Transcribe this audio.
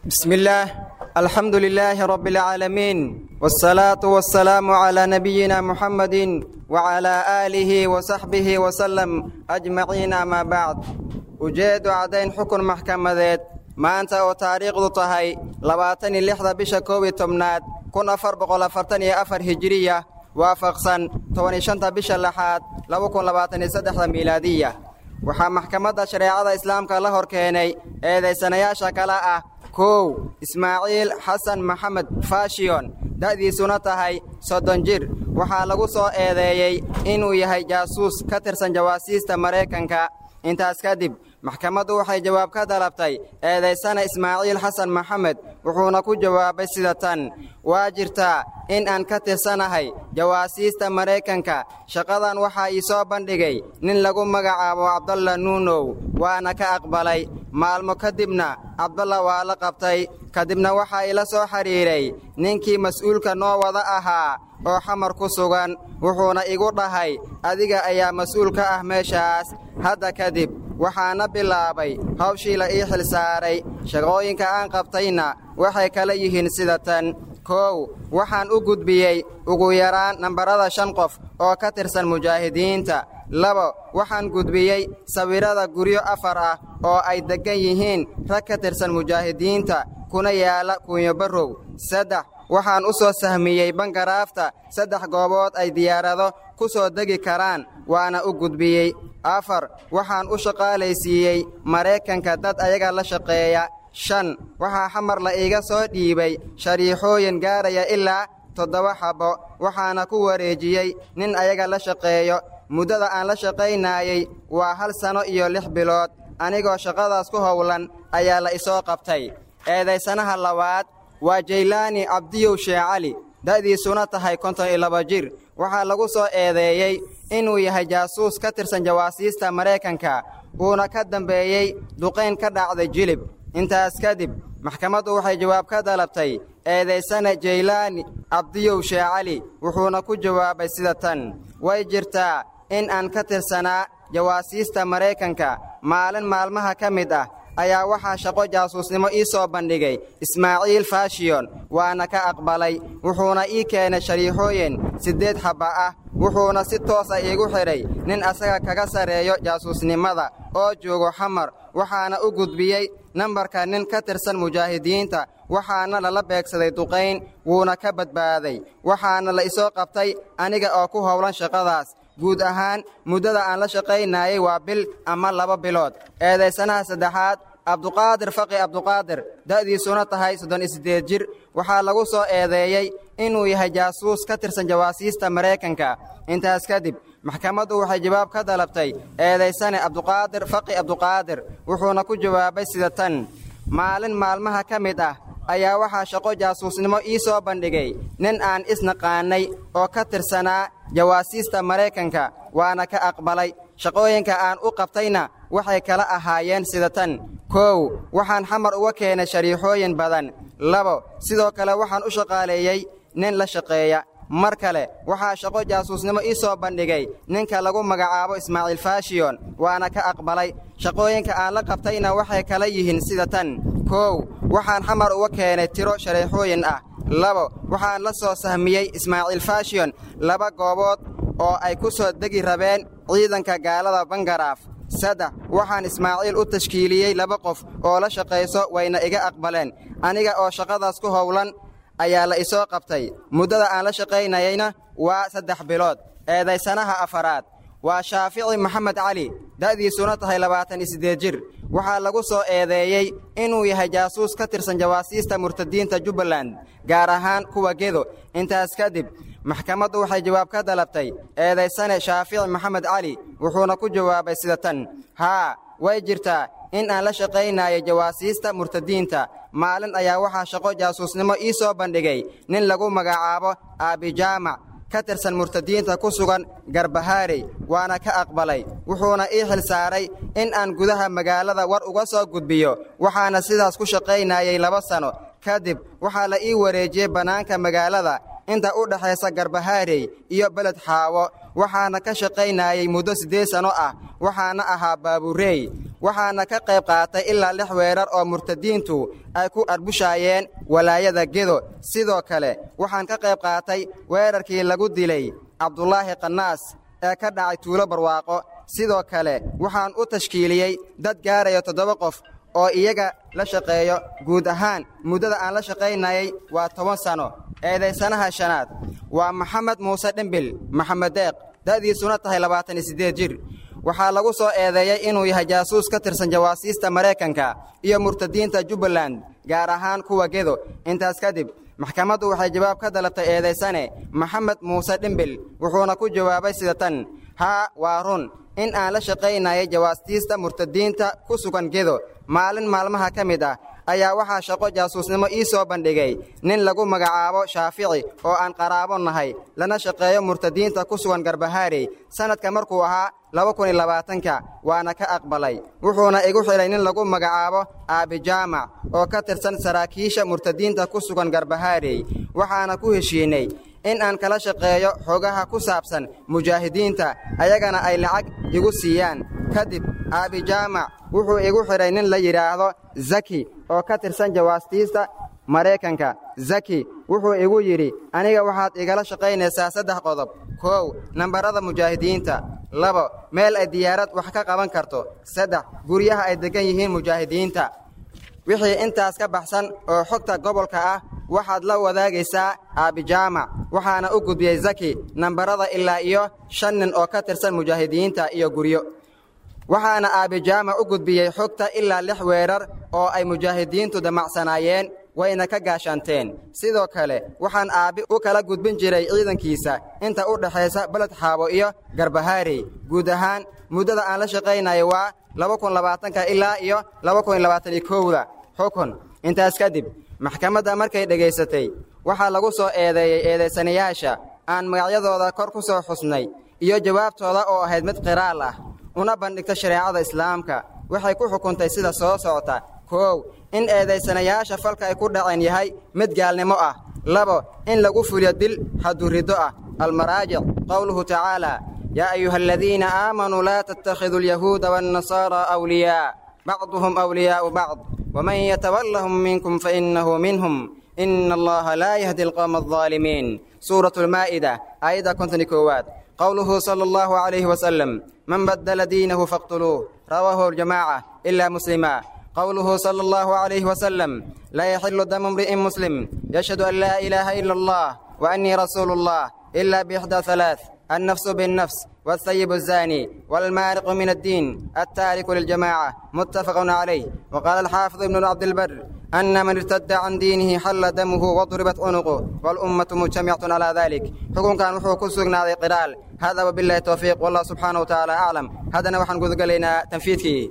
بسم الله، الحمد لله رب العالمين، والصلاة والسلام على نبينا محمد وعلى آله وصحبه وسلم أجمعين، ما بعد. Ujeedu caddayn xukun maxkamadeed. Maanta oo taariikhdu tahay 26-da bisha 11-aad 1444 hijiriya, waafaqsan 15-ta bisha lixaad 2023-da miilaadiya, waxaa maxkamadda shareecada islaamka la hor keenay eedaysanayaasha kale ah: 1, Ismaaciil Xasan Maxamed Fashiyon, da'diisuna tahay 30 jir. Waxaa lagu soo eedeeyey inuu yahay jaasuus ka tirsan jawaasiista Maraykanka. Intaas kadib maxkamaddu waxay jawaab ka dalabtay eedaysana Ismaaciil Xasan Maxamed, wuxuuna ku jawaabay sida tan: Waa jirtaa in aan ka tirsanahay jawaasiista Maraykanka. Shaqadan waxaa ii soo bandhigay nin lagu magacaabo Cabdalla Nuunow, waana ka aqbalay. Maalmo kadibna Cabdalla waa la qabtay. Kadibna waxaa ila soo xidhiidhay ninkii mas'uulka noo wada ahaa oo Xamar ku sugan, wuxuuna igu dhahay: 'Adiga ayaa mas'uul ka ah meeshaas hadda kadib.' Waxaana bilaabay hawshii la ii xil saaray. Shaqooyinka aan qabtayna waxay kala yihiin sida tan: 1, waxaan u gudbiyey ugu yaraan nambarada shan qof oo ka tirsan mujaahidiinta. 2, waxaan gudbiyey sawirrada guryo afar ah oo ay deggan yihiin rag ka tirsan mujaahidiinta, kuna yaala Kuunyobarrow. 3, waxaan u soo sahmiyey bangaraafta saddex goobood ay diyaarado ku soo degi karaan, waana u gudbiyey. 4, waxaan u shaqaalaysiiyey Maraykanka dad ayaga la shaqeeya. 5, waxaa Xamar la iiga soo dhiibay shariixooyin gaaraya ilaa toddoba xabbo, waxaana ku wareejiyey nin ayaga la shaqeeyo. Muddada aan la shaqaynayey waa hal sano iyo 6 bilood. Anigoo shaqadaas ku howlan ayaa la isoo qabtay. Eedaysanaha labaad waa Jaylaani Cabdiyow Sheecali, da'diisuna tahay 52 jir. Waxaa lagu soo eedeeyey inuu yahay jaasuus ka tirsan jawaasiista Maraykanka, uuna ka dambeeyey duqayn ka dhacday Jilib. Intaas kadib maxkamaddu waxay jawaab ka dalabtay eedaysane Jaylaani Cabdiyow Sheecali, wuxuuna ku jawaabay sida tan: Way jirtaa in aan ka tirsanaa jawaasiista Maraykanka. Maalin maalmaha ka mid ah ayaa waxaa shaqo jaasuusnimo ii soo bandhigay Ismaaciil Fashiyon, waana ka aqbalay. Wuxuuna ii keenay shariixooyin siddeed xabba ah, wuxuuna si toosa iigu xidhay nin asaga kaga sarreeyo jaasuusnimada oo joogo Xamar, waxaana u gudbiyey nambarka nin ka tirsan mujaahidiinta, waxaana lala beegsaday duqayn, wuuna ka badbaaday, waxaana la isoo qabtay aniga oo ku howlan shaqadaas. Guud ahaan muddada aan la shaqaynayay waa bil ama 2 bilood. Eedaysanaha saddexaad, Cabduqaadir Faqi Cabduqaadir, da'diisuna tahay 38 jir. Waxaa lagu soo eedeeyey inuu yahay jaasuus ka tirsan jawaasiista Maraykanka. Intaas kadib maxkamaddu waxay jawaab ka dalabtay eedaysane Cabduqaadir Faqi Cabduqaadir, wuxuuna ku jawaabay sida tan: Maalin maalmaha ka mid ah ayaa waxaa shaqo jaasuusnimo ii soo bandhigay nin aan isnaqaanay oo ka tirsanaa jawaasiista Maraykanka, waana ka aqbalay. Shaqooyinka aan u qabtayna waxay kala ahaayeen sida tan: 1, waxaan Xamar uga keenay shariixooyin badan. 2, sidoo kale waxaan u shaqaaleeyey nin la shaqeeya. Mar kale waxaa shaqo jaasuusnimo ii soo bandhigay ninka lagu magacaabo Ismaaciil Fashiyon, waana ka aqbalay. Shaqooyinka aan la qabtayna waxay kala yihiin sida tan: 1, waxaan Xamar uga keenay tiro shareexooyin ah. 2, waxaan la soo sahmiyey Ismaaciil Fashiyon laba goobood oo ay ku soo degi rabeen ciidanka gaalada bangaraaf. 3, waxaan Ismaaciil u tashkiiliyey laba qof oo la shaqayso, wayna iga aqbaleen. Aniga oo shaqadaas ku howlan ayaa la isoo qabtay. Muddada aan la shaqaynayeyna waa 3 bilood. Eedaysanaha afaraad waa Shaafici Maxamed Cali, da'diisuna tahay 28 jir. Waxaa lagu soo eedeeyey inuu yahay jaasuus ka tirsan jawaasiista murtadiinta Jubbaland, gaar ahaan kuwa Gedo. Intaas kadib maxkamaddu waxay jawaab ka dalabtay eedaysane Shaafici Maxamed Cali, wuxuuna ku jawaabay sida tan: Haa, way jirtaa in aan la shaqaynayo jawaasiista murtadiinta. Maalin ayaa waxaa shaqo jaasuusnimo ii soo bandhigay nin lagu magacaabo Aabijaamac ka tirsan murtadiinta ku sugan Garbahaarey, waana ka aqbalay, wuxuuna ii xil saaray in aan gudaha magaalada war uga soo gudbiyo, waxaana sidaas ku shaqaynayay 2 sano. Kadib waxaa la ii wareejiyey bannaanka magaalada inta u dhexaysa Garbahaarey iyo Beled Xaawo, waxaana ka shaqaynayay muddo 8 sano ah, waxaana ahaa baabureey. Waxaana ka qayb qaatay ilaa 6 weerar oo murtadiintu ay ku arbushaayeen walaayada Gedo. Sidoo kale waxaan ka qayb qaatay weerarkii lagu dilay Cabdulaahi Qanaas ee ka dhacay Tuulo Barwaaqo. Sidoo kale waxaan u tashkiiliyey dad gaaraya 7 qof oo iyaga la shaqeeyo. Guud ahaan muddada aan la shaqaynayay waa 10 sano. Eedaysanaha shanaad waa Maxamed Muuse Dhimbil Maxamed Deeq, da'diisuna tahay 28 jir. Waxaa lagu soo eedeeyey inuu yahay jaasuus ka tirsan jawaasiista Maraykanka iyo murtadiinta Jubbaland, gaar ahaan kuwa Gedo. Intaas kadib maxkamaddu waxay jawaab ka dalabtay eedaysane Maxamed Muuse Dhimbil, wuxuuna ku jawaabay sida tan: haa, waa run in aan la shaqaynayay jawaastiista murtadiinta ku sugan Gedo. Maalin maalmaha ka mid ah ayaa waxaa shaqo jaasuusnimo ii soo bandhigay nin lagu magacaabo Shaafici oo aan qaraabo nahay, lana shaqeeyo murtadiinta ku sugan Garbahaarey, sanadka markuu ahaa 2020-ka, waana ka aqbalay. Wuxuuna igu xidhay nin lagu magacaabo Aabi Jaamac oo ka tirsan saraakiisha murtadiinta ku sugan Garbahaarey. Waxaana ku heshiinay in aan kala shaqeeyo xogaha ku saabsan mujaahidiinta, ayagana ay lacag igu siiyaan. Kadib Aabi Jaamac wuxuu igu xidhay nin la yidhaahdo Zaki oo ka tirsan jawaastiista Maraykanka. Zaki wuxuu igu yidhi: aniga waxaad igala shaqaynaysaa 3 qodob. 1, nambarada mujaahidiinta. 2, meel ay diyaarad wax ka qaban karto. 3, guryaha ay degan yihiin mujaahidiinta. Wixii intaas ka baxsan oo xogta gobolka ah waxaad la wadaagaysaa Aabi Jaamac. Waxaana u gudbiyey Zaki nambarada ilaa iyo 5 nin oo ka tirsan mujaahidiinta iyo guryo. Waxaana Aabi Jaamac u gudbiyey xogta ilaa 6 weerar oo ay mujaahidiintu damacsanaayeen, wayna ka gaashaanteen. Sidoo kale waxaan aabi u kala gudbin jiray ciidankiisa inta u dhaxaysa Baled Xaabo iyo Garbahaarey. Guud ahaan muddada aan la shaqaynayo waa 2020-ka ilaa iyo 2021-da. Xukun. Intaas kadib maxkamadda markay dhegaysatay waxaa lagu soo eedeeyey eedaysanayaasha aan magacyadooda kor ku soo xusnay iyo jawaabtooda oo ahayd mid qiraal ah, una bandhigta shareecada Islaamka, waxay ku xukuntay sida soo socota: 1, in eedaysanayaasha falka ay ku dhaceen yahay mid gaalnimo ah. 2, in lagu fuliyo dil xaduriddo ah. Almaraajic: qowluhu tacaala: yaa ayuha aladiina aamanuu laa tattakhiduu alyahuuda waannasaara awliyaa bacduhum awliyaa'u bacd waman yatawallahum minkum fainnahu minhum ina allaha laa yahdi alqawma aldaalimiin. Suuratu almaa'ida, aayadda 51aad. قوله صلى الله عليه وسلم: من بدل دينه فاقتلوه، رواه الجماعة إلا مسلما. قوله صلى الله عليه وسلم: لا يحل دم امرئ مسلم يشهد أن لا إله إلا الله وأني رسول الله إلا بإحدى ثلاث: النفس بالنفس، والثيب الزاني، والمارق من الدين التارك للجماعة، متفق عليه. وقال الحافظ ابن عبد البر: أن من ارتد عن دينه حل دمه وضربت عنقه، والأمة مجتمعة على ذلك. حكم كان وحو كسرنا قرال هذا، وبالله التوفيق، والله سبحانه وتعالى أعلم. هذا نوحا قد قلنا تنفيذه.